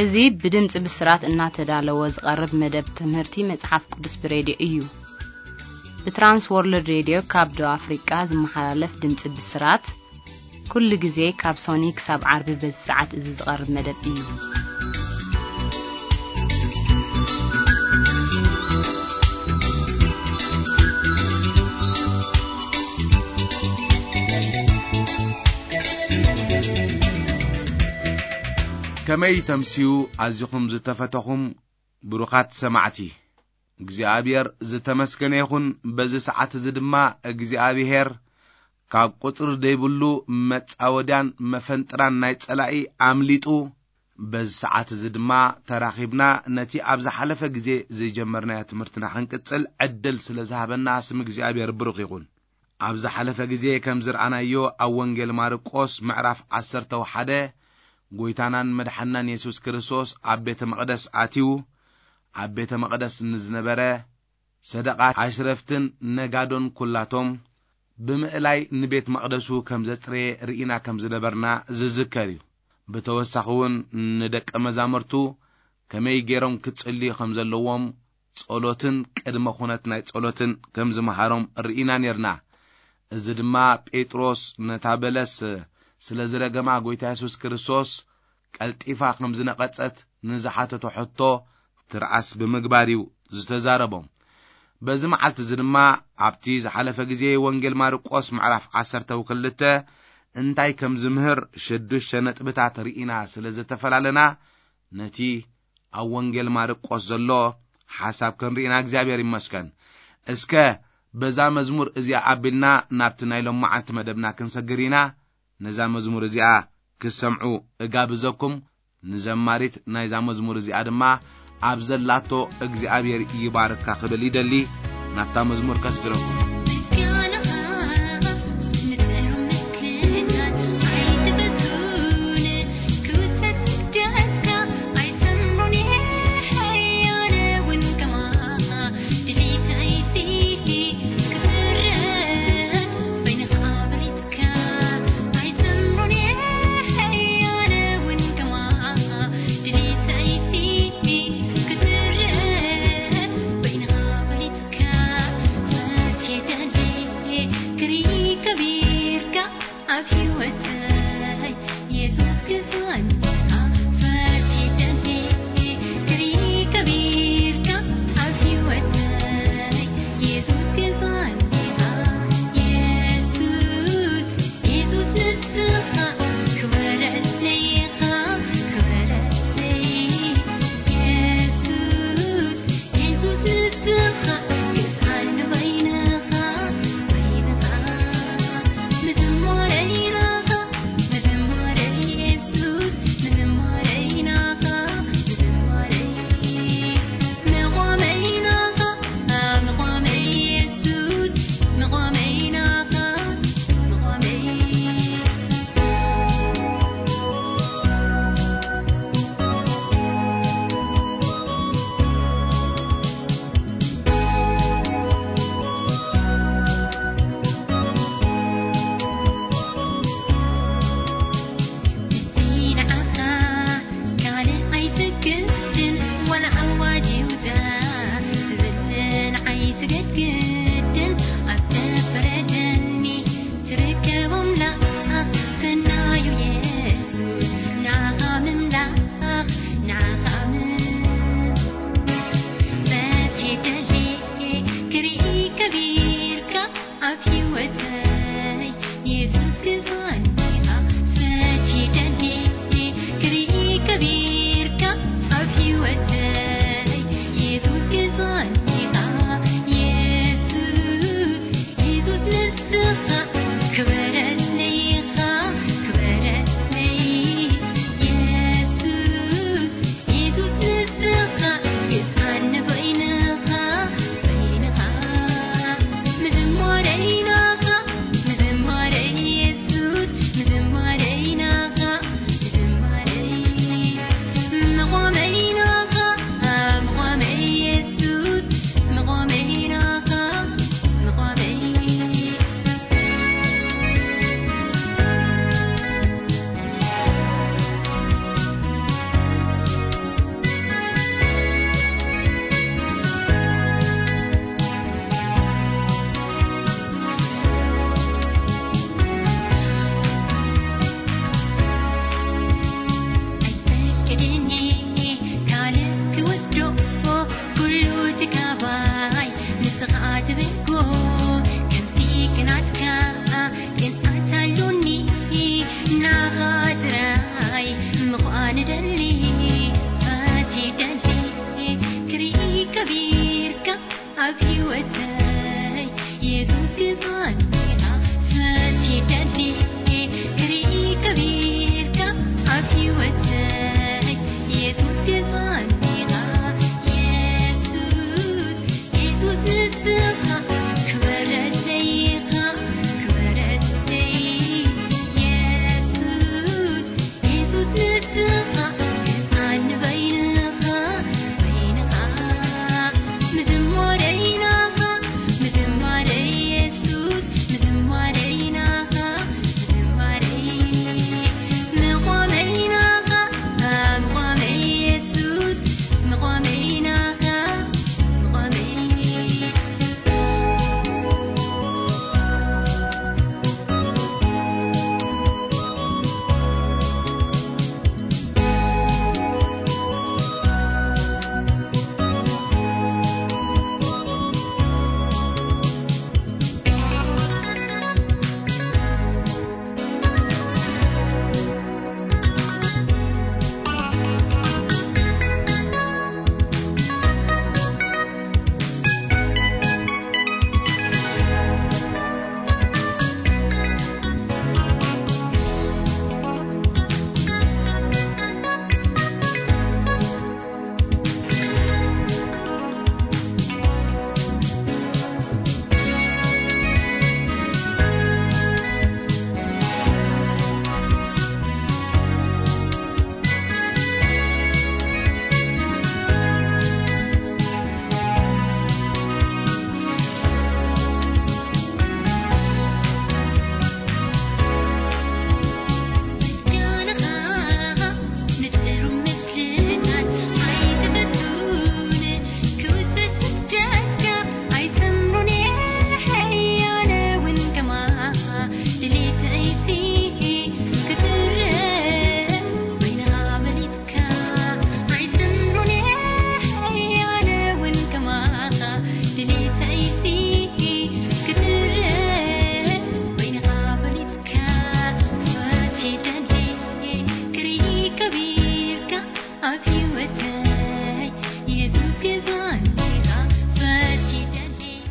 እዚ ብድምጺ ብስራት እናተዳለወ ዝቐርብ መደብ ትምህርቲ መጽሓፍ ቅዱስ ብሬድዮ እዩ። ብትራንስ ወርልድ ሬድዮ ካብ ደቡብ ኣፍሪቃ ዝመሓላለፍ ድምጺ ብስራት፣ ኩሉ ግዜ ካብ ሶኒ ክሳብ ዓርቢ በዚ ሰዓት እዚ ዝቐርብ መደብ እዩ። ከመይ ተምስዩ ኣዚኹም ዝተፈተኹም ብሩኻት ሰማዕቲ። እግዚኣብሔር ዝተመስገነ ይኹን። በዚ ሰዓት እዚ ድማ እግዚኣብሔር ካብ ቁጽሪ ዘይብሉ መጻወድያን መፈንጥራን ናይ ጸላኢ ኣምሊጡ፣ በዚ ሰዓት እዚ ድማ ተራኺብና ነቲ ኣብ ዝሓለፈ ግዜ ዝጀመርናዮ ትምህርትና ክንቅጽል ዕድል ስለ ዝሃበና ስም እግዚኣብሔር ብሩኽ ይኹን። ኣብ ዝሓለፈ ግዜ ከም ዝረኣናዮ ኣብ ወንጌል ማርቆስ ምዕራፍ ዓሰርተ ሓደ ጎይታናን መድሓናን የሱስ ክርስቶስ ኣብ ቤተ መቕደስ ኣትዩ፣ ኣብ ቤተ መቕደስ ንዝነበረ ሰደቓ ኣሽረፍትን ነጋዶን ኩላቶም ብምእላይ ንቤት መቕደሱ ከም ዘጽረየ ርኢና ከም ዝነበርና ዝዝከር እዩ። ብተወሳኺ እውን ንደቀ መዛሙርቱ ከመይ ገይሮም ክጽልዩ ከም ዘለዎም ጸሎትን ቅድመ ኩነት ናይ ጸሎትን ከም ዝመሃሮም ርኢና ኔርና። እዚ ድማ ጴጥሮስ ነታ በለስ ስለ ዝረገማ ጎይታ የሱስ ክርስቶስ ቀልጢፋ ከም ዝነቐጸት ንዝሓተቶ ሕቶ ትርኣስ ብምግባር እዩ ዝተዛረቦም። በዚ መዓልቲ እዚ ድማ ኣብቲ ዝሓለፈ ግዜ ወንጌል ማርቆስ ምዕራፍ ዓሰርተ ክልተ እንታይ ከም ዝምህር ሽዱሽተ ነጥብታት ርኢና ስለ ዝተፈላለና ነቲ ኣብ ወንጌል ማርቆስ ዘሎ ሓሳብ ክንርኢና እግዚኣብሔር ይመስገን። እስከ በዛ መዝሙር እዚኣ ኣቢልና ናብቲ ናይ ሎማዓንቲ መደብና ክንሰግር ኢና። ነዛ መዝሙር እዚኣ ክሰምዑ እጋብዘኩም። ንዘማሪት ናይዛ መዝሙር እዚኣ ድማ ኣብ ዘላቶ እግዚኣብሔር ይባርካ ክብል ይደሊ። ናብታ መዝሙር ከስግረኩም።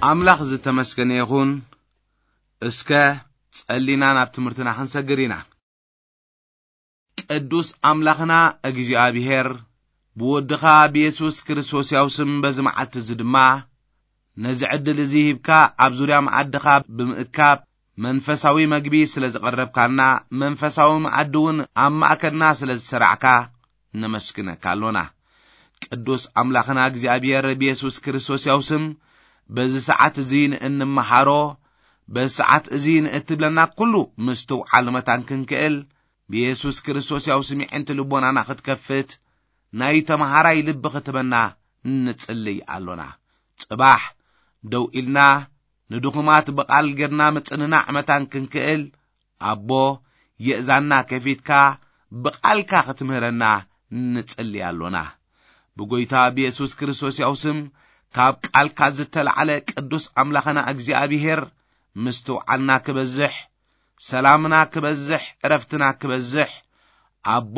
ኣምላኽ ዝተመስገነ ይኹን። እስከ ጸሊና ናብ ትምህርትና ክንሰግር ኢና። ቅዱስ ኣምላኽና እግዚኣብሔር፣ ብወድኻ ብየሱስ ክርስቶስ ያው ስም በዚ መዓልቲ እዚ ድማ ነዚ ዕድል እዚ ሂብካ ኣብ ዙርያ መኣድኻ ብምእካብ መንፈሳዊ መግቢ ስለ ዝቐረብካና፣ መንፈሳዊ መኣዲ እውን ኣብ ማእከልና ስለ ዝሰራዕካ ነመስግነካ ኣሎና። ቅዱስ ኣምላኽና እግዚኣብሔር ብየሱስ ክርስቶስ ያው ስም በዚ ሰዓት እዚ ንእንመሃሮ፣ በዚ ሰዓት እዚ ንእትብለና ኩሉ ምስትውዓል መታን ክንክእል፣ ብየሱስ ክርስቶስ ያው ስም የዕንቲ ልቦናና ክትከፍት፣ ናይ ተመሃራይ ልቢ ክትበና ንጽልይ ኣሎና። ጽባሕ ደው ኢልና ንድኹማት ብቓል ጌርና ምጽንናዕ መታን ክንክእል፣ ኣቦ የእዛንና ከፊትካ ብቓልካ ክትምህረና ንጽልይ ኣሎና። ብጎይታ ብየሱስ ክርስቶስ ያው ስም ካብ ቃልካ ዝተላዕለ ቅዱስ ኣምላኽና እግዚኣብሔር ምስትውዓልና ክበዝሕ፣ ሰላምና ክበዝሕ፣ ዕረፍትና ክበዝሕ፣ ኣቦ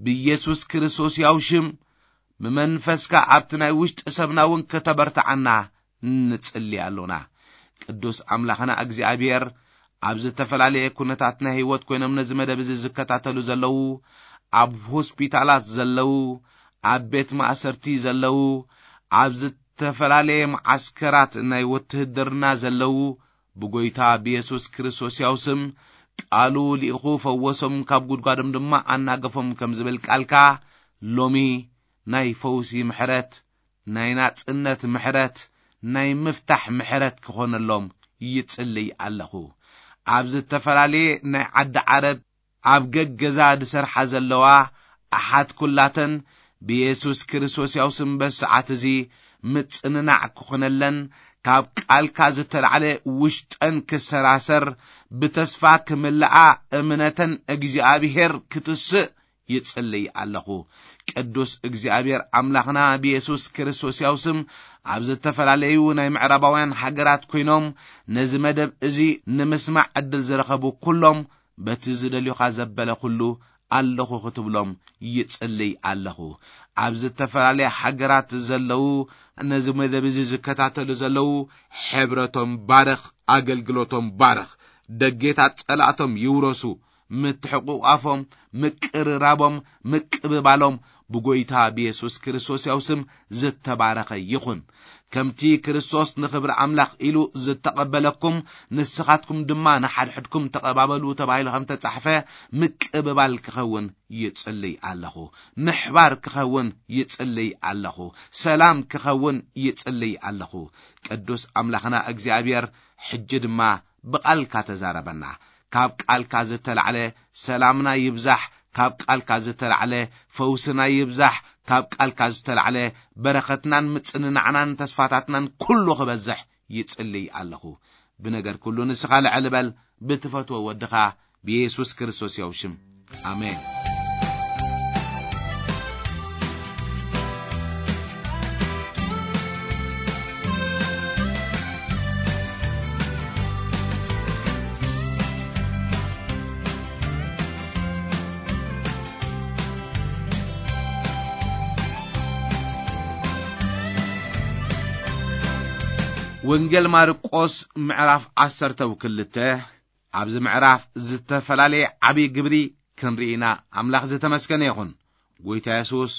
ብየሱስ ክርስቶስ ያው ሽም ብመንፈስካ ኣብቲ ናይ ውሽጢ ሰብና እውን ከተበርትዓና ንጽሊ ኣሎና። ቅዱስ ኣምላኽና እግዚኣብሔር ኣብ ዝተፈላለየ ኩነታት ናይ ህይወት ኮይኖም ነዚ መደብ እዚ ዝከታተሉ ዘለዉ፣ ኣብ ሆስፒታላት ዘለዉ፣ ኣብ ቤት ማእሰርቲ ዘለዉ፣ ኣብ ዝተፈላለየ መዓስከራት ናይ ውትህድርና ዘለዉ፣ ብጎይታ ብየሱስ ክርስቶስ ያው ስም ቃሉ ልኢኹ ፈወሶም፣ ካብ ጉድጓዶም ድማ ኣናገፎም ከም ዝብል ቃልካ፣ ሎሚ ናይ ፈውሲ ምሕረት፣ ናይ ናጽነት ምሕረት፣ ናይ ምፍታሕ ምሕረት ክኾነሎም ይጽልይ ኣለኹ። ኣብ ዝተፈላለየ ናይ ዓዲ ዓረብ ኣብ ገገዛ ዝሰርሓ ዘለዋ ኣሓት ኩላተን ብየሱስ ክርስቶስ ያው ስም በዚ ሰዓት እዚ ምጽንናዕ ክኾነለን፣ ካብ ቃልካ ዝተላዕለ ውሽጠን ክሰራሰር፣ ብተስፋ ክምልኣ፣ እምነተን እግዚኣብሔር ክትስእ ይጽልይ ኣለኹ። ቅዱስ እግዚኣብሔር ኣምላኽና ብየሱስ ክርስቶስ ያው ስም ኣብ ዝተፈላለዩ ናይ ምዕራባውያን ሃገራት ኮይኖም ነዚ መደብ እዚ ንምስማዕ ዕድል ዝረኸቡ ኩሎም በቲ ዝደልዩኻ ዘበለ ኩሉ ኣለኹ ክትብሎም ይጽልይ ኣለኹ። ኣብ ዝተፈላለያ ሃገራት ዘለዉ ነዚ መደብ እዚ ዝከታተሉ ዘለዉ ሕብረቶም ባርኽ፣ ኣገልግሎቶም ባርኽ። ደጌታት ጸላእቶም ይውረሱ። ምትሕቑቋፎም፣ ምቅርራቦም፣ ምቅብባሎም ብጎይታ ብየሱስ ክርስቶስ ያው ስም ዝተባረኸ ይኹን። ከምቲ ክርስቶስ ንኽብሪ ኣምላኽ ኢሉ ዝተቐበለኩም፣ ንስኻትኩም ድማ ንሓድሕድኩም ተቐባበሉ ተባሂሉ ከም ተጻሕፈ፣ ምቅብባል ክኸውን ይጽልይ ኣለኹ። ምሕባር ክኸውን ይጽልይ ኣለኹ። ሰላም ክኸውን ይጽልይ ኣለኹ። ቅዱስ ኣምላኽና እግዚኣብሔር፣ ሕጂ ድማ ብቓልካ ተዛረበና። ካብ ቃልካ ዝተላዕለ ሰላምና ይብዛሕ፣ ካብ ቃልካ ዝተላዕለ ፈውስና ይብዛሕ፣ ካብ ቃልካ ዝተላዕለ በረኸትናን ምጽንናዕናን ተስፋታትናን ኩሉ ክበዝሕ ይጽልይ ኣለኹ። ብነገር ኩሉ ንስኻ ልዕል በል፣ ብትፈትዎ ወድኻ ብየሱስ ክርስቶስ ያው ሽም። ኣሜን። ወንጌል ማርቆስ ምዕራፍ ዓሰርተ ክልተ። ኣብዚ ምዕራፍ ዝተፈላለየ ዓብዪ ግብሪ ክንርኢ ኢና። ኣምላኽ ዝተመስገነ ይኹን። ጎይታ የሱስ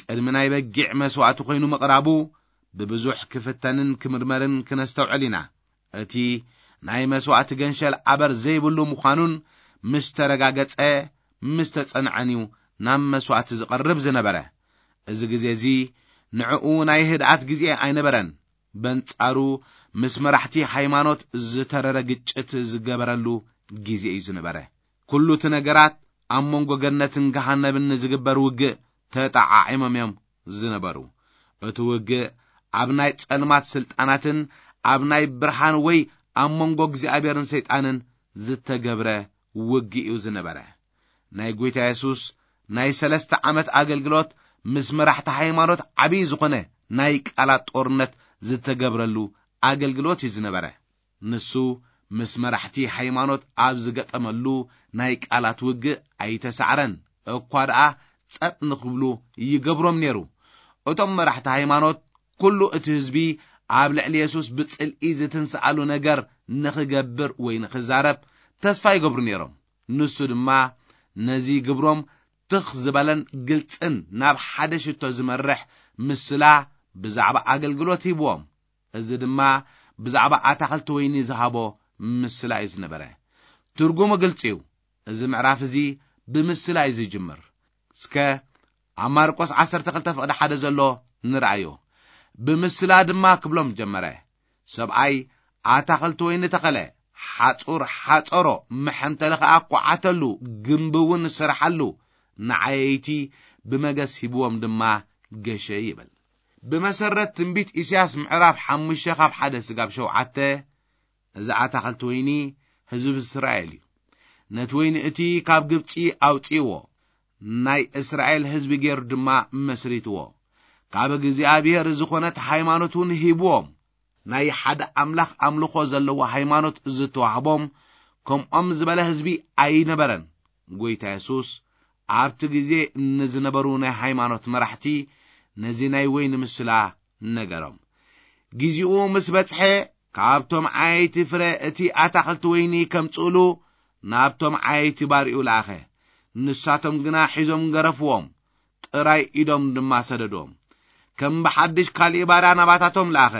ቅድሚ ናይ በጊዕ መስዋእቲ ኮይኑ ምቕራቡ ብብዙሕ ክፍተንን ክምርመርን ክነስተውዕል ኢና። እቲ ናይ መስዋእቲ ገንሸል ኣበር ዘይብሉ ምዃኑን ምስ ተረጋገጸ፣ ምስ ተጸንዐን እዩ ናብ መስዋእቲ ዝቐርብ ዝነበረ። እዚ ግዜ እዚ ንዕኡ ናይ ህድኣት ግዜ ኣይነበረን። በንጻሩ ምስ መራሕቲ ሃይማኖት ዝተረረ ግጭት ዝገበረሉ ግዜ እዩ ዝነበረ። ኩሉ እቲ ነገራት ኣብ መንጎ ገነትን ገሃነብን ንዝግበር ውግእ ተጠዓዒሞም እዮም ዝነበሩ። እቲ ውግእ ኣብ ናይ ጸልማት ስልጣናትን ኣብ ናይ ብርሃን ወይ ኣብ መንጎ እግዚኣብሔርን ሰይጣንን ዝተገብረ ውግእ እዩ ዝነበረ። ናይ ጐይታ የሱስ ናይ ሰለስተ ዓመት ኣገልግሎት ምስ መራሕቲ ሃይማኖት ዓብዪ ዝኾነ ናይ ቃላት ጦርነት ዝተገብረሉ ኣገልግሎት እዩ ዝነበረ። ንሱ ምስ መራሕቲ ሃይማኖት ኣብ ዝገጠመሉ ናይ ቃላት ውግእ ኣይተሳዕረን፣ እኳ ደኣ ጸጥ ንኽብሉ ይገብሮም ነይሩ። እቶም መራሕቲ ሃይማኖት፣ ኩሉ እቲ ህዝቢ ኣብ ልዕሊ የሱስ ብጽልኢ ዝትንስኣሉ ነገር ንኽገብር ወይ ንኽዛረብ ተስፋ ይገብሩ ነይሮም። ንሱ ድማ ነዚ ግብሮም ትኽ ዝበለን ግልጽን ናብ ሓደ ሽቶ ዝመርሕ ምስላ ብዛዕባ ኣገልግሎት ሂብዎም። እዚ ድማ ብዛዕባ ኣታኽልቲ ወይኒ ዝሃቦ ምስላ እዩ ዝነበረ። ትርጉሙ ግልጺ እዩ። እዚ ምዕራፍ እዚ ብምስላ እዩ ዝጅምር። እስከ ኣብ ማርቆስ ዓሰርተ ክልተ ፍቕዲ ሓደ ዘሎ ንርኣዮ። ብምስላ ድማ ክብሎም ጀመረ። ሰብኣይ ኣታኽልቲ ወይኒ ተኸለ፣ ሓጹር ሓጸሮ፣ መሐንተሊ ኸኣ ኳዓተሉ፣ ግምቢ እውን ስርሓሉ፣ ንዓየይቲ ብመገስ ሂብዎም ድማ ገሸ ይብል። ብመሰረት ትንቢት ኢሳያስ ምዕራፍ ሓሙሽተ ካብ ሓደ ስጋብ ሸውዓተ፣ እዚ ኣታኽልቲ ወይኒ ህዝቢ እስራኤል እዩ። ነቲ ወይኒ እቲ ካብ ግብጺ ኣውጺእዎ፣ ናይ እስራኤል ህዝቢ ገይሩ ድማ መስሪትዎ። ካብ እግዚኣብሔር ዝኾነት ሃይማኖት እውን ሂብዎም። ናይ ሓደ ኣምላኽ ኣምልኾ ዘለዎ ሃይማኖት ዝተዋህቦም ከምኦም ዝበለ ህዝቢ ኣይነበረን። ጎይታ የሱስ ኣብቲ ግዜ ንዝነበሩ ናይ ሃይማኖት መራሕቲ ነዚ ናይ ወይኒ ምስላ ነገሮም። ግዜኡ ምስ በጽሐ፣ ካብቶም ዓየይቲ ፍረ እቲ ኣታኽልቲ ወይኒ ከምጽእሉ ናብቶም ዓየይቲ ባርዩ ለኣኸ። ንሳቶም ግና ሒዞም ገረፍዎም፣ ጥራይ ኢዶም ድማ ሰደድዎም። ከም ብሓድሽ ካሊእ ባርያ ናባታቶም ለኣኸ።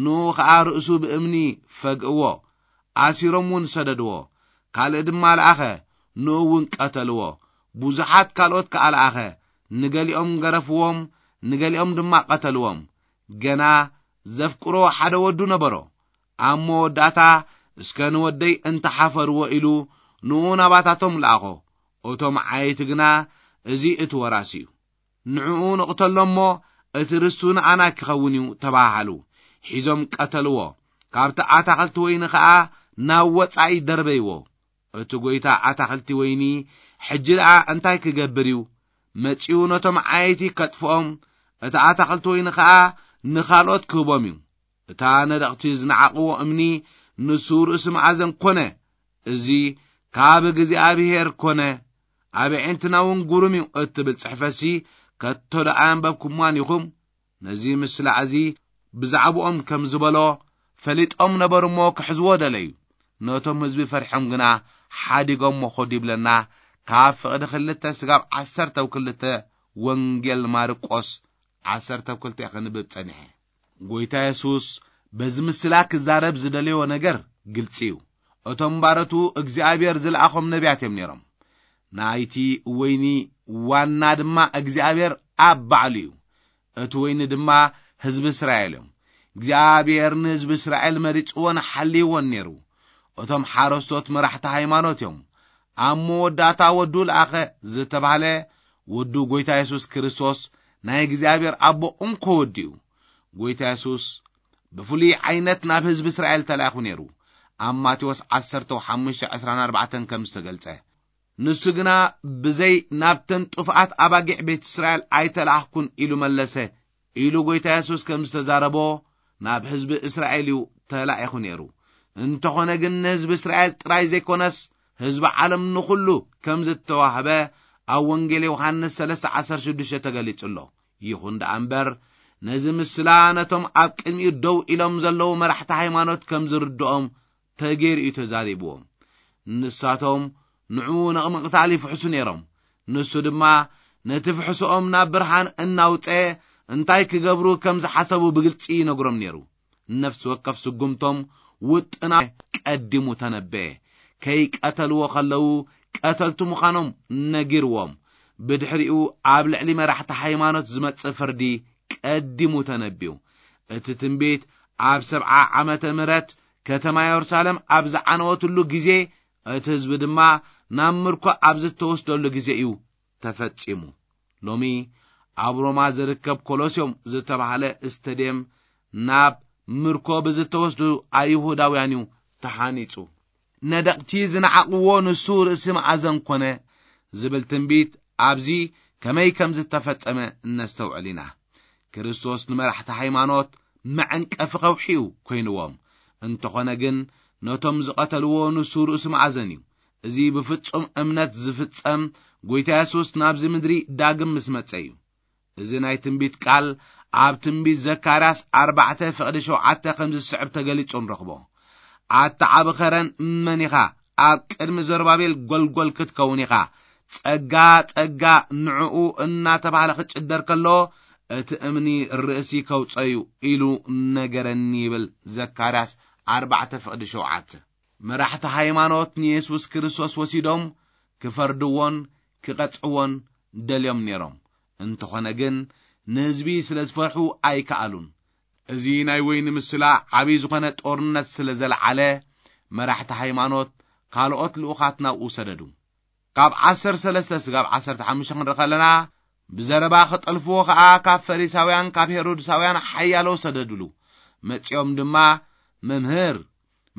ንኡ ኸኣ ርእሱ ብእምኒ ፈግእዎ፣ ኣሲሮም እውን ሰደድዎ። ካልእ ድማ ለኣኸ፣ ንኡ እውን ቀተልዎ። ብዙሓት ካልኦት ከኣ ለኣኸ፣ ንገሊኦም ገረፍዎም፣ ንገሊኦም ድማ ቀተልዎም። ገና ዘፍቅሮ ሓደ ወዱ ነበሮ። ኣብ መወዳእታ፣ "እስከ ንወደይ እንተሓፈርዎ" ኢሉ ንኡ ናባታቶም ለኣኾ። እቶም ዓየይቲ ግና፣ "እዚ እቲ ወራሲ እዩ፣ ንዕኡ ንቕተሎ እሞ እቲ ርስቱ ንኣና ክኸውን እዩ" ተባሃሉ። ሒዞም ቀተልዎ። ካብቲ ኣታኽልቲ ወይኒ ኸኣ ናብ ወጻኢ ደርበይዎ። እቲ ጐይታ ኣታኽልቲ ወይኒ ሕጂ ደኣ እንታይ ክገብር እዩ? መጺኡ ነቶም ዓየይቲ ከጥፍኦም፣ እቲ ኣታኽልቲ ወይኒ ኸኣ ንኻልኦት ክህቦም እዩ። እታ ነደቕቲ ዝነዓቕዎ እምኒ ንሱ ርእሲ መኣዘን ኰነ። እዚ ካብ እግዚኣብሔር ኰነ፣ ኣብ ኣዒንትና እውን ግሩም እዩ እትብል ጽሕፈትሲ ከቶ ደኣ ኣንበብኩምዋን ኢኹም? ነዚ ምስላ እዚ ብዛዕባኦም ከም ዝበሎ ፈሊጦም ነበሩ እሞ ክሕዝዎ ደለዩ። ነቶም ህዝቢ ፈሪሖም ግና ሓዲጎሞ ኾዱ ይብለና። ካብ ፍቕዲ ክልተ ስጋብ ዓሰርተው ክልተ ወንጌል ማርቆስ ዓሰርተው ክልተ ክንብብ ጸኒሐ። ጎይታ የሱስ በዚ ምስላ ክዛረብ ዝደለዮ ነገር ግልጺ እዩ። እቶም ባረቱ እግዚኣብሔር ዝለኣኾም ነቢያት እዮም ነይሮም። ናይቲ ወይኒ ዋና ድማ እግዚኣብሔር ኣብ ባዕሉ እዩ። እቲ ወይኒ ድማ ህዝቢ እስራኤል እዮም። እግዚኣብሔር ንህዝቢ እስራኤል መሪጽዎን ሓልይዎን ነይሩ። እቶም ሓረስቶት መራሕቲ ሃይማኖት እዮም። ኣብ መወዳእታ ወዱ ለኣኸ ዝተባህለ ወዱ ጎይታ የሱስ ክርስቶስ ናይ እግዚኣብሔር ኣቦ እንኮ ወዲ እዩ። ጎይታ የሱስ ብፍሉይ ዓይነት ናብ ህዝቢ እስራኤል ተላኢኹ ነይሩ። ኣብ ማቴዎስ ዓሰርተ ሓሙሽተ ዕስራን ኣርባዕተን ከም ዝተገልጸ፣ ንሱ ግና ብዘይ ናብተን ጥፉኣት ኣባጊዕ ቤት እስራኤል ኣይተላእኽኩን ኢሉ መለሰ ኢሉ ጎይታ የሱስ ከም ዝተዛረቦ ናብ ህዝቢ እስራኤል እዩ ተላኢኹ ነይሩ። እንተኾነ ግን ንህዝቢ እስራኤል ጥራይ ዘይኮነስ ህዝቢ ዓለም ንኹሉ ከም ዝተዋህበ ኣብ ወንጌል ዮሃንስ ሰለስተ ዓሰርተ ሽዱሽተ ተገሊጹ ኣሎ። ይኹን ደኣ እምበር ነዚ ምስላ ነቶም ኣብ ቅድሚኡ ደው ኢሎም ዘለዉ መራሕቲ ሃይማኖት ከም ዝርድኦም ተገይሩ እዩ ተዛሪብዎም። ንሳቶም ንዕኡ ነቕምቕታል ይፍሕሱ ነይሮም። ንሱ ድማ ነቲ ፍሕሶኦም ናብ ብርሃን እናውጸ እንታይ ክገብሩ ከም ዝሓሰቡ ብግልጺ ይነግሮም ነይሩ። ነፍሲ ወከፍ ስጉምቶም ውጥና ቀዲሙ ተነበየ። ከይቀተልዎ ከለዉ ቀተልቲ ምዃኖም ነጊርዎም። ብድሕሪኡ ኣብ ልዕሊ መራሕቲ ሃይማኖት ዝመጽእ ፍርዲ ቀዲሙ ተነብዩ። እቲ ትንቢት ኣብ ሰብዓ ዓመተ ምህረት ከተማ የሩሳሌም ኣብ ዝዓነወትሉ ግዜ እቲ ህዝቢ ድማ ናብ ምርኮ ኣብ ዝተወስደሉ ግዜ እዩ ተፈጺሙ። ሎሚ ኣብ ሮማ ዝርከብ ኮሎስዮም ዝተባህለ ስተድየም ናብ ምርኮ ብዝተወስዱ ኣይሁዳውያን እዩ ተሃኒጹ። ነደቕቲ ዝነዓቕዎ ንሱ ርእሲ መኣዘን ኮነ ዝብል ትንቢት ኣብዚ ከመይ ከም ዝተፈጸመ እነስተውዕል ኢና። ክርስቶስ ንመራሕቲ ሃይማኖት መዐንቀፊ ከውሒ እዩ ኮይንዎም። እንተኾነ ግን ነቶም ዝቐተልዎ ንሱ ርእሲ መኣዘን እዩ። እዚ ብፍጹም እምነት ዝፍጸም ጎይታ የሱስ ናብዚ ምድሪ ዳግም ምስ መጸ እዩ። እዚ ናይ ትንቢት ቃል ኣብ ትንቢት ዘካርያስ ኣርባዕተ ፍቕዲ ሸውዓተ ከምዚ ዝስዕብ ተገሊጹ ንረኽቦ። ኣታ ዓቢ ኸረን መን ኢኻ? ኣብ ቅድሚ ዘሩባቤል ጐልጐል ክትከውን ኢኻ። ጸጋ፣ ጸጋ ንዕኡ እናተባህለ ክጭደር ከሎ፣ እቲ እምኒ ርእሲ ከውጸዩ ኢሉ ነገረኒ ይብል ዘካርያስ ኣርባዕተ ፍቕዲ ሸውዓተ። መራሕቲ ሃይማኖት ንየሱስ ክርስቶስ ወሲዶም ክፈርድዎን ክቐጽዕዎን ደልዮም ነይሮም። እንተኾነ ግን ንህዝቢ ስለ ዝፈርሑ ኣይከኣሉን። እዚ ናይ ወይኒ ምስላ ዓብዪ ዝኾነ ጦርነት ስለ ዘልዓለ መራሕቲ ሃይማኖት ካልኦት ልኡኻት ናብኡ ሰደዱ። ካብ ዓሰርተ ሰለስተ ስጋብ ዓሰርተ ሓሙሽተ ክንርኢ ከለና ብዘረባ ክጠልፍዎ ኸኣ ካብ ፈሪሳውያን ካብ ሄሮድሳውያን ሓያሎ ሰደድሉ። መጺኦም ድማ መምህር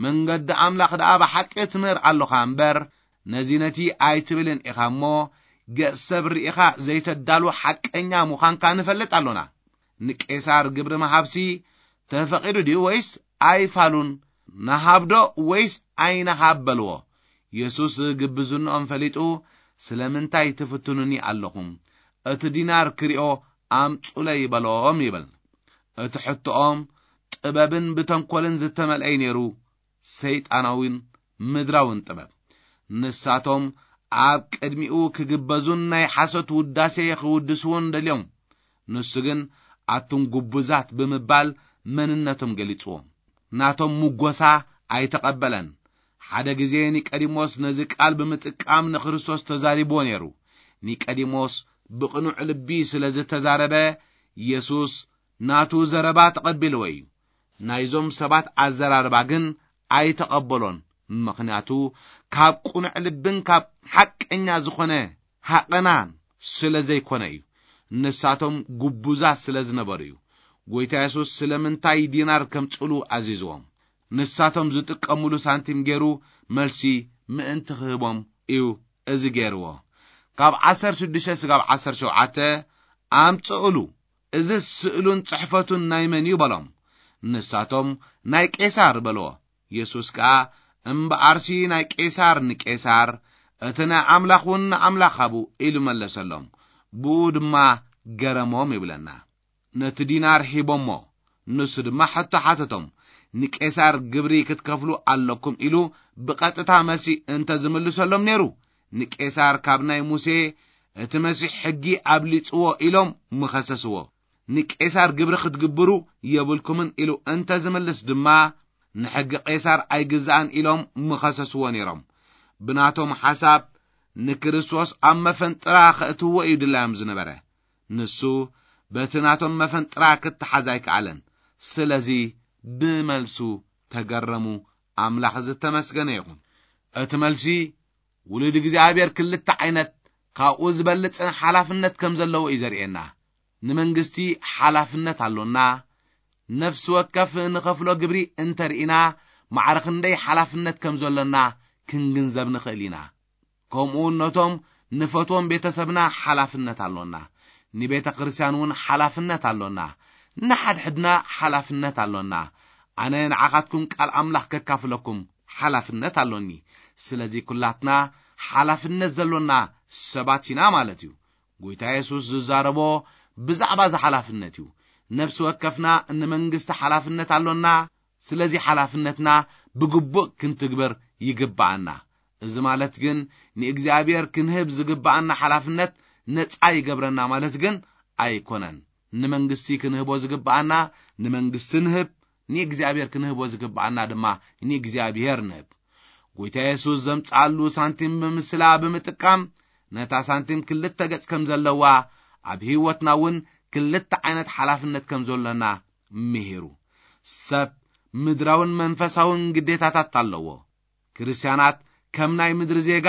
መንገዲ ኣምላኽ ደኣ ብሓቂ ትምህር ኣሎኻ እምበር፣ ነዚ ነቲ ኣይትብልን ኢኻ እሞ፣ ገጽ ሰብ ርኢኻ ዘይተዳሉ ሓቀኛ ምዃንካ ንፈልጥ ኣሎና። ንቄሳር ግብሪ ምሃብሲ ተፈቒዱ ድዩ ወይስ ኣይፋሉን? ንሃብዶ ወይስ ኣይንሃብ በልዎ። የሱስ ግብዝንኦም ፈሊጡ፣ ስለምንታይ ትፍትኑኒ ኣለኹም? እቲ ዲናር ክሪኦ ኣምጹለይ በሎም ይብል። እቲ ሕቶኦም ጥበብን ብተንኮልን ዝተመልአይ ነይሩ። ሰይጣናዊን ምድራውን ጥበብ። ንሳቶም ኣብ ቅድሚኡ ክግበዙን ናይ ሓሶት ውዳሴ ክውድስዎን ደልዮም። ንሱ ግን ኣቱም ግቡዛት ብምባል መንነቶም ገሊጽዎም። ናቶም ምጎሳ ኣይተቐበለን። ሓደ ግዜ ኒቀዲሞስ ነዚ ቃል ብምጥቃም ንክርስቶስ ተዛሪብዎ ነይሩ። ኒቀዲሞስ ብቕኑዕ ልቢ ስለ ዝተዛረበ፣ የሱስ ናቱ ዘረባ ተቐቢልዎ እዩ። ናይዞም ሰባት ኣዘራርባ ግን ኣይተቐበሎን፣ ምኽንያቱ ካብ ቅኑዕ ልብን ካብ ሓቀኛ ዝኾነ ሃቐናን ስለ ዘይኮነ እዩ። ንሳቶም ግቡዛት ስለ ዝነበሩ እዩ። ጎይታ የሱስ ስለምንታይ ዲናር ከምጽሉ ኣዚዝዎም? ንሳቶም ዝጥቀምሉ ሳንቲም ገይሩ መልሲ ምእንቲ ክህቦም እዩ እዚ ገይርዎ። ካብ ዓሰርተ ሽዱሽተ ስጋብ ዓሰርተ ሸውዓተ ኣምጽእሉ፣ እዚ ስእሉን ጽሕፈቱን ናይ መን እዩ በሎም። ንሳቶም ናይ ቄሳር በልዎ። የሱስ ከኣ እምበኣርሲ ናይ ቄሳር ንቄሳር፣ እቲ ናይ ኣምላኽ እውን ንኣምላኽ ሃቡ ኢሉ መለሰሎም። ብኡ ድማ ገረሞም ይብለና። ነቲ ዲናር ሂቦሞ። ንሱ ድማ ሕቶ ሓተቶም። ንቄሳር ግብሪ ክትከፍሉ ኣለኩም ኢሉ ብቐጥታ መልሲ እንተ ዝምልሰሎም ነይሩ፣ ንቄሳር ካብ ናይ ሙሴ እቲ መሲሕ ሕጊ ኣብሊጽዎ ኢሎም ምኸሰስዎ። ንቄሳር ግብሪ ክትግብሩ የብልኩምን ኢሉ እንተ ዝምልስ ድማ፣ ንሕጊ ቄሳር ኣይግዛእን ኢሎም ምኸሰስዎ ነይሮም። ብናቶም ሓሳብ ንክርስቶስ ኣብ መፈንጥራ ከእትዎ እዩ ድላዮም ዝነበረ። ንሱ በቲ ናቶም መፈንጥራ ክተሓዝ ኣይከኣለን። ስለዚ ብመልሱ ተገረሙ። ኣምላኽ ዝተመስገነ ይኹን። እቲ መልሲ ውሉድ እግዚኣብሔር ክልተ ዓይነት ካብኡ ዝበልጽን ሓላፍነት ከም ዘለዎ እዩ ዘርእየና። ንመንግስቲ ሓላፍነት ኣሎና። ነፍሲ ወከፍ ንኸፍሎ ግብሪ እንተርኢና፣ ማዕረ ክንደይ ሓላፍነት ከም ዘሎና ክንግንዘብ ንኽእል ኢና። ከምኡ እውን ነቶም ንፈትዎም ቤተሰብና ሓላፍነት ኣሎና። ንቤተ ክርስቲያን እውን ሓላፍነት ኣሎና። ንሓድሕድና ሓላፍነት ኣሎና። ኣነ ንዓኻትኩም ቃል ኣምላኽ ከካፍለኩም ሓላፍነት ኣሎኒ። ስለዚ ኩላትና ሓላፍነት ዘሎና ሰባት ኢና ማለት እዩ። ጎይታ የሱስ ዝዛረቦ ብዛዕባ እዚ ሓላፍነት እዩ። ነፍሲ ወከፍና ንመንግስቲ ሓላፍነት ኣሎና። ስለዚ ሓላፍነትና ብግቡእ ክንትግብር ይግብኣና። እዚ ማለት ግን ንእግዚኣብሔር ክንህብ ዝግብኣና ሓላፍነት ነጻ ይገብረና ማለት ግን ኣይኮነን። ንመንግስቲ ክንህቦ ዝግብኣና ንመንግስቲ ንህብ፣ ንእግዚኣብሔር ክንህቦ ዝግብኣና ድማ ንእግዚኣብሔር ንህብ። ጎይታ የሱስ ዘምጽኣሉ ሳንቲም ብምስላ ብምጥቃም፣ ነታ ሳንቲም ክልተ ገጽ ከም ዘለዋ፣ ኣብ ህይወትና እውን ክልተ ዓይነት ሓላፍነት ከም ዘሎና ምሂሩ። ሰብ ምድራውን መንፈሳውን ግዴታታት ኣለዎ። ክርስትያናት ከም ናይ ምድሪ ዜጋ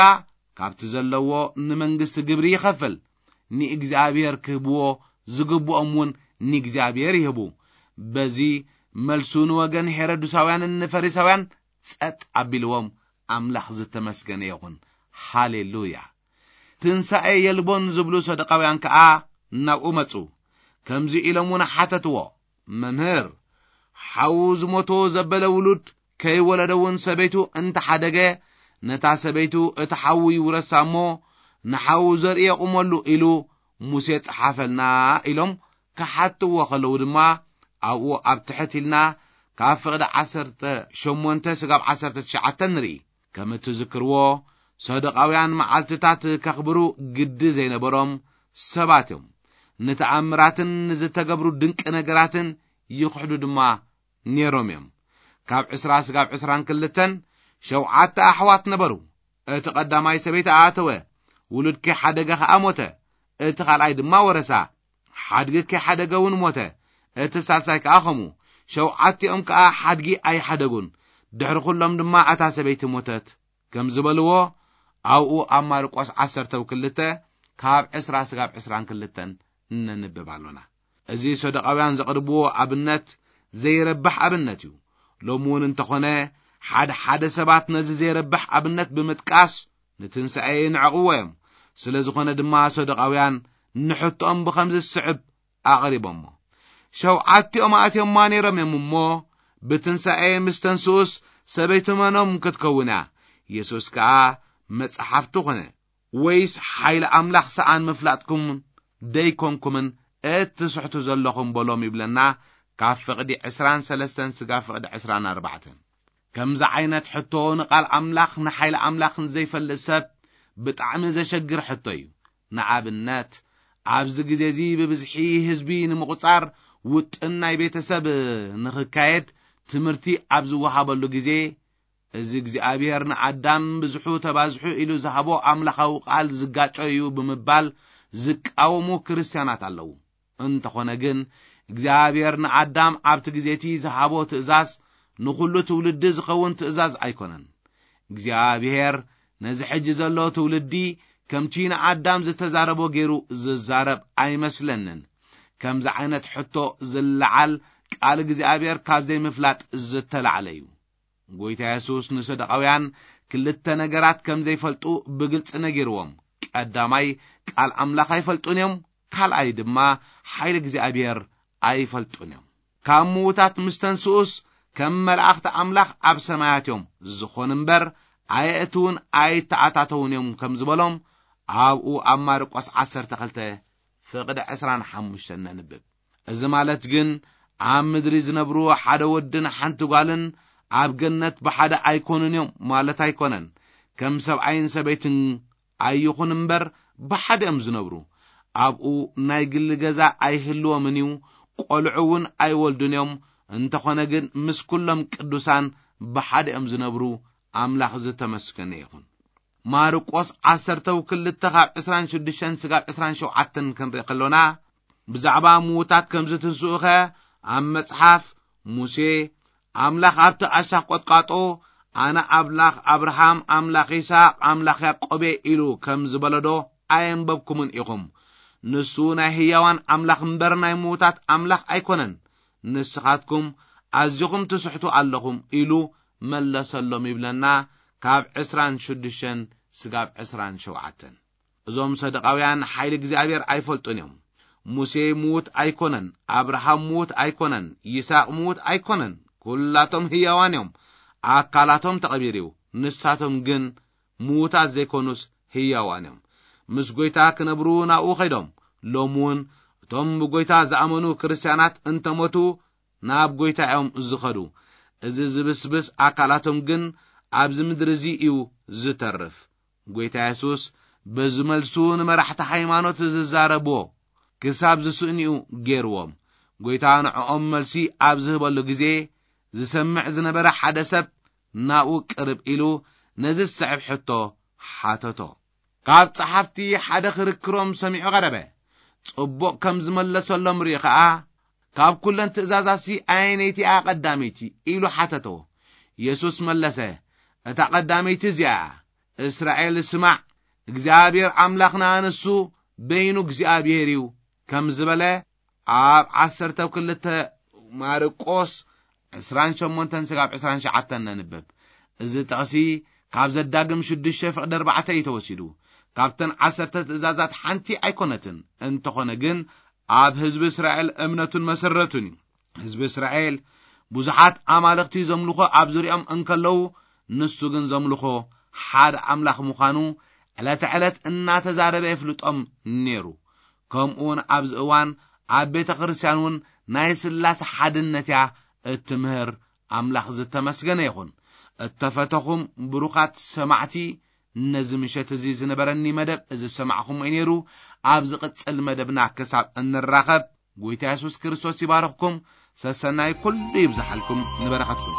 ካብቲ ዘለዎ ንመንግስቲ ግብሪ ይኸፍል። ንእግዚኣብሔር ክህብዎ ዝግብኦም እውን ንእግዚኣብሔር ይህቡ። በዚ መልሱ ንወገን ሄሮድሳውያንን ንፈሪሳውያን ጸጥ ኣቢልዎም፣ ኣምላኽ ዝተመስገነ ይኹን። ሃሌሉያ። ትንሳኤ የልቦን ዝብሉ ሰዱቃውያን ከኣ ናብኡ መጹ። ከምዚ ኢሎም እውን ሓተትዎ፣ መምህር፣ ሓዉ ዝሞቶ ዘበለ ውሉድ ከይወለደ እውን ሰበይቱ እንተሓደገ፣ ነታ ሰበይቱ እቲ ሓዉ ይውረሳ እሞ፣ ንሓዉ ዘርኢ የቑመሉ ኢሉ ሙሴ ጸሓፈልና ኢሎም ክሓትዎ ከለዉ ድማ ኣብኡ ኣብ ትሕት ኢልና ካብ ፍቕዲ ዓሰርተ ሸሞንተ ስጋብ ዓሰርተ ትሽዓተ ንርኢ። ከም እትዝክርዎ፣ ሰዱቃውያን መዓልትታት ከኽብሩ ግዲ ዘይነበሮም ሰባት እዮም። ንተኣምራትን ንዝተገብሩ ድንቂ ነገራትን ይኽሕዱ ድማ ነይሮም እዮም። ካብ ዕስራ ስጋብ ዕስራን ክልተን ሸውዓተ ኣሕዋት ነበሩ። እቲ ቀዳማይ ሰበይቲ ኣተወ፣ ውሉድኪ ሓደገ ኸኣ ሞተ። እቲ ኻልኣይ ድማ ወረሳ፣ ሓድግኪ ሓደገ እውን ሞተ። እቲ ሳልሳይ ከኣ ኸምኡ። ሸውዓቲኦም ከኣ ሓድጊ ኣይሓደጉን። ድሕሪ ኹሎም ድማ እታ ሰበይቲ ሞተት። ከም ዝበልዎ ኣብኡ ኣብ ማርቆስ ዓሰርተ ክልተ ካብ ዕስራ ስጋብ ዕስራን ክልተን እነንብብ ኣሎና። እዚ ሰዱቃውያን ዘቕርብዎ ኣብነት ዘይረብሕ ኣብነት እዩ። ሎሚ እውን እንተኾነ፣ ሓደ ሓደ ሰባት ነዚ ዘይረብሕ ኣብነት ብምጥቃስ ንትንሳኤ ይንዕቕዎ እዮም። ስለ ዝኾነ ድማ ሰዱቃውያን ንሕቶኦም ብኸምዚ ዝስዕብ ኣቕሪቦሞ። ሸውዓቲኦም ኣእትዮማ ነይሮም እዮም እሞ፣ ብትንሳኤ ምስ ተንስኡስ ሰበይቲ መኖም ክትከውን እያ? የሱስ ከኣ መጽሓፍቲ ኾነ፣ ወይስ ሓይሊ ኣምላኽ ሰኣን ምፍላጥኩም ደይኮንኩምን እትስሕቱ ዘለኹም በሎም ይብለና፣ ካብ ፍቕዲ ዕስራን ሰለስተን ስጋ ፍቕዲ ዕስራን ኣርባዕተን። ከምዚ ዓይነት ሕቶ ንቓል ኣምላኽ ንሓይሊ ኣምላኽን ዘይፈልጥ ሰብ ብጣዕሚ ዘሸግር ሕቶ እዩ። ንኣብነት፣ ኣብዚ ግዜ እዚ ብብዝሒ ህዝቢ ንምቑጻር ውጥን ናይ ቤተሰብ ንኽካየድ ትምህርቲ ኣብ ዝወሃበሉ ግዜ፣ እዚ እግዚኣብሔር ንኣዳም ብዝሑ ተባዝሑ ኢሉ ዝሃቦ ኣምላኻዊ ቃል ዝጋጮ እዩ ብምባል ዝቃወሙ ክርስትያናት ኣለዉ። እንተኾነ ግን፣ እግዚኣብሔር ንኣዳም ኣብቲ ግዜ እቲ ዝሃቦ ትእዛዝ ንኹሉ ትውልዲ ዝኸውን ትእዛዝ ኣይኮነን። እግዚኣብሔር ነዚ ሕጂ ዘሎ ትውልዲ ከምቲ ንኣዳም ዝተዛረቦ ገይሩ ዝዛረብ ኣይመስለንን። ከምዚ ዓይነት ሕቶ ዝለዓል ቃል እግዚኣብሔር ካብ ዘይምፍላጥ ዝተላዕለ እዩ። ጎይታ የሱስ ንሰዱቃውያን ክልተ ነገራት ከም ዘይፈልጡ ብግልጺ ነጊርዎም። ቀዳማይ፣ ቃል ኣምላኽ ኣይፈልጡን እዮም። ካልኣይ ድማ፣ ሓይሊ እግዚኣብሔር ኣይፈልጡን እዮም። ካብ ምዉታት ምስ ተንስኡስ፣ ከም መላእኽቲ ኣምላኽ ኣብ ሰማያት እዮም ዝኾኑ እምበር፣ ኣየእትዉን ኣይተኣታተዉን እዮም ከም ዝበሎም፣ ኣብኡ ኣብ ማርቆስ ዓሰርተ ክልተ ፍቕዲ ዕስራን ሓሙሽተን ነንብብ። እዚ ማለት ግን፣ ኣብ ምድሪ ዝነብሩ ሓደ ወድን ሓንቲ ጓልን ኣብ ገነት ብሓደ ኣይኮኑን እዮም ማለት ኣይኮነን። ከም ሰብኣይን ሰበይትን ኣይኹን እምበር፣ ብሓደ እዮም ዝነብሩ። ኣብኡ ናይ ግሊ ገዛ ኣይህልዎምን እዩ፣ ቆልዑ እውን ኣይወልዱን እዮም። እንተኾነ ግን፣ ምስ ኩሎም ቅዱሳን ብሓደ እዮም ዝነብሩ። ኣምላኽ ዝተመስገነ ይኹን። ማርቆስ ዓሰርተ ክልተ ካብ ዕስራን ሽዱሽተን ስጋብ ዕስራን ሸውዓተን ክንርኢ ከሎና፣ ብዛዕባ ምዉታት ከም ዝትንስኡኸ ኣብ መጽሓፍ ሙሴ፣ ኣምላኽ ኣብቲ ኣሻኽ ቈጥቋጦ፣ "ኣነ ኣምላኽ ኣብርሃም፣ ኣምላኽ ይስሐቅ፣ ኣምላኽ ያዕቆብ እየ" ኢሉ ከም ዝበለዶ ኣየንበብኩምን ኢኹም? ንሱ ናይ ህያዋን ኣምላኽ እምበር ናይ ምዉታት ኣምላኽ ኣይኮነን። ንስኻትኩም ኣዚኹም ትስሕቱ ኣለኹም ኢሉ መለሰሎም ይብለና፣ ካብ ዕስራን ሽዱሽተን ስጋብ ዕስራን ሸውዓተን። እዞም ሰደቃውያን ሓይሊ እግዚኣብሔር ኣይፈልጡን እዮም። ሙሴ ምዉት ኣይኮነን፣ ኣብርሃም ምዉት ኣይኮነን፣ ይስሐቅ ምዉት ኣይኮነን። ኩላቶም ህያዋን እዮም። ኣካላቶም ተቐቢሩ እዩ። ንሳቶም ግን ምዉታት ዘይኮኑስ ህያዋን እዮም። ምስ ጐይታ ክነብሩ ናብኡ ኸይዶም። ሎሚ እውን እቶም ብጐይታ ዝኣመኑ ክርስትያናት እንተሞቱ ናብ ጐይታ እዮም ዝኸዱ። እዚ ዝብስብስ ኣካላቶም ግን ኣብዚ ምድሪ እዚ እዩ ዝተርፍ። ጐይታ የሱስ በዚ መልሱ ንመራሕቲ ሃይማኖት ዝዛረብዎ ክሳብ ዝስእንኡ ገይርዎም። ጐይታ ንዕኦም መልሲ ኣብ ዝህበሉ ግዜ፣ ዝሰምዕ ዝነበረ ሓደ ሰብ ናብኡ ቅርብ ኢሉ ነዚ ዝስዕብ ሕቶ ሓተቶ። ካብ ጸሓፍቲ ሓደ ክርክሮም ሰሚዑ ቀረበ። ጽቡቕ ከም ዝመለሰሎም ርእዩ ኸኣ፣ "ካብ ኩለን ትእዛዛትሲ ኣየነይቲ እያ ቀዳመይቲ?" ኢሉ ሓተቶ። የሱስ መለሰ፣ "እታ ቀዳመይቲ እዚኣ እያ፣ እስራኤል ስማዕ፣ እግዚኣብሔር ኣምላኽና ንሱ በይኑ እግዚኣብሔር እዩ" ከም ዝበለ፣ ኣብ ዓሰርተ ክልተ ማርቆስ ዕስራን ሸሞንተን ስጋብ ዕስራን ሸዓተን ነንብብ። እዚ ጥቕሲ ካብ ዘዳግም ሽዱሽተ ፍቕዲ ኣርባዕተ እዩ ተወሲዱ። ካብተን ዓሰርተ ትእዛዛት ሓንቲ ኣይኮነትን። እንተኾነ ግን ኣብ ህዝቢ እስራኤል እምነቱን መሰረቱን እዩ። ህዝቢ እስራኤል ብዙሓት ኣማልኽቲ ዘምልኾ ኣብ ዙሪኦም እንከለዉ፣ ንሱ ግን ዘምልኾ ሓደ ኣምላኽ ምዃኑ ዕለተ ዕለት እናተዛረበ የፍልጦም ነይሩ። ከምኡውን ኣብዚ እዋን ኣብ ቤተ ክርስቲያን እውን ናይ ስላሴ ሓድነት እያ እትምህር። ኣምላኽ ዝተመስገነ ይኹን። እተፈተኹም ብሩኻት ሰማዕቲ፣ ነዚ ምሸት እዚ ዝነበረኒ መደብ እዚ ዝሰማዕኹም እዩ ነይሩ። ኣብ ዝቕጽል መደብና ክሳብ እንራኸብ፣ ጎይታ የሱስ ክርስቶስ ይባርኽኩም። ሰሰናይ ኩሉ ይብዝሓልኩም ንበረኸትኩም።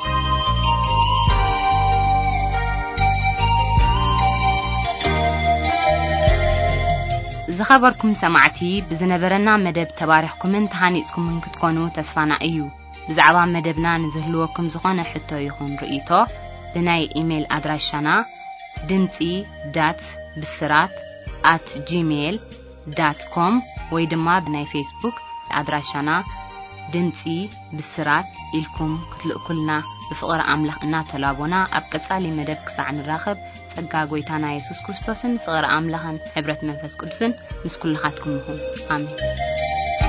ዝኸበርኩም ሰማዕቲ፣ ብዝነበረና መደብ ተባሪኽኩምን ተሃኒጽኩምን ክትኮኑ ተስፋና እዩ። ብዛዕባ መደብና ንዝህልወኩም ዝኾነ ሕቶ ይኹን ርእይቶ፣ ብናይ ኢሜይል ኣድራሻና ድምጺ ዳት ብስራት ኣት ጂሜይል ዳት ኮም ወይ ድማ ብናይ ፌስቡክ ኣድራሻና ድምጺ ብስራት ኢልኩም ክትልእኩልና ብፍቕሪ ኣምላኽ እናተላቦና፣ ኣብ ቀጻሊ መደብ ክሳዕ ንራኸብ፣ ጸጋ ጎይታና የሱስ ክርስቶስን ፍቕሪ ኣምላኽን ሕብረት መንፈስ ቅዱስን ምስ ኩልኻትኩም ይኹን። ኣሜን።